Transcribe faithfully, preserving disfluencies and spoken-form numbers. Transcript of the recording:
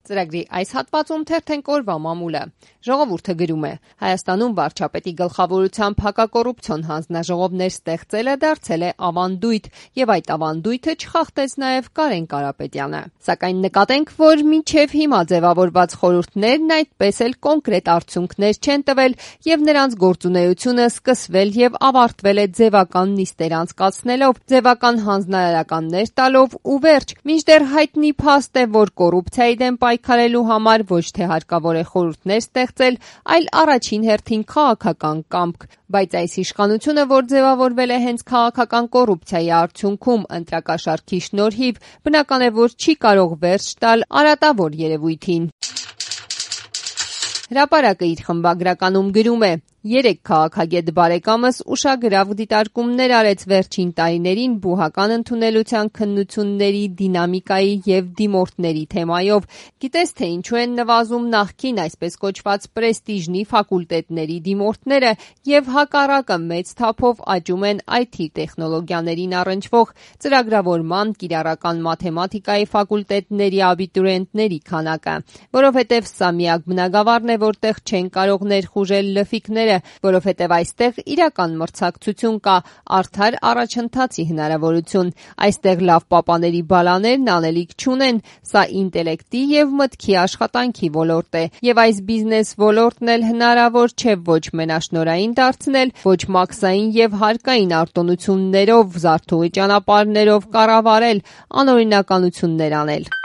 Ծրագրի այս հատվածում թերթենք օրվա մամուլը։ Ժողովուրդը գրում է. Հայաստանում վարչապետի գլխավորությամբ հակակոռուպցիոն հանձնաժողովներ ստեղծելը դարձել է ավանդույթ, եւ այդ ավանդույթը չխախտեց նաեւ Կարեն Կարապետյանը։ Սակայն նկատենք, որ մինչեւ հիմա ձևավորված խորհուրդներն այդպես էլ կոնկրետ արդյունքներ չեն տվել, եւ նրանց գործունեությունը սկսվել եւ ավարտվել է ձևական նիստեր անցկացնելով, ձևական հանձնարարականներ տալով ու վերջ, մինչդեռ հայտնի փաստ է, որ կոռուպցիայի դեմ պայքարելու համար ոչ թե հարկավոր է խորհուրդներ ստեղծել, այլ առաջին հերթին քաղաքական կամք, բայց այս իշխանությունը, որ ձևավորվել է հենց քաղաքական կոռուպցիայի արդյունքում ընտրակաշառքի շնորհիվ, բնական է, որ չի կարող վերջ տալ արատավոր երևույթին։ Հրապարակը իր խմբագրականում գրում է. Երեք քաղաքագետ բարեկամս ուշագրավ դիտարկումներ արեց վերջին տարիներին բուհական ընդունելության քննությունների դինամիկայի եւ դիմորդների թեմայով։ Գիտես թե ինչու են նվազում նախկին այսպես կոչված պրեստիժնի ֆակուլտետների դիմորդները եւ հակառակը մեծ թափով աճում են այ թի տեխնոլոգիաներին առնչվող ծրագրավորման, կիրառական մաթեմատիկայի ֆակուլտետների աբիտուրիենտների քանակը, որովհետեւ սա միակ բնագավառն է, որտեղ չեն կարող ներխուժել լֆիկները, որովհետև այստեղ իրական մրցակցություն կա, արդար առաջընթացի հնարավորություն։ Այստեղ լավ պապաների բալաներն անելիք չունեն, սա ինտելեկտի եւ մտքի աշխատանքի ոլորտ է, եւ այս բիզնես ոլորտն էլ հնարավոր չէ ոչ մենաշնորհային դարձնել, ոչ մաքսային եւ հարկային արտոնություններով, զարթուղի ճանապարհներով կառավարել, անօրինականություններ անել։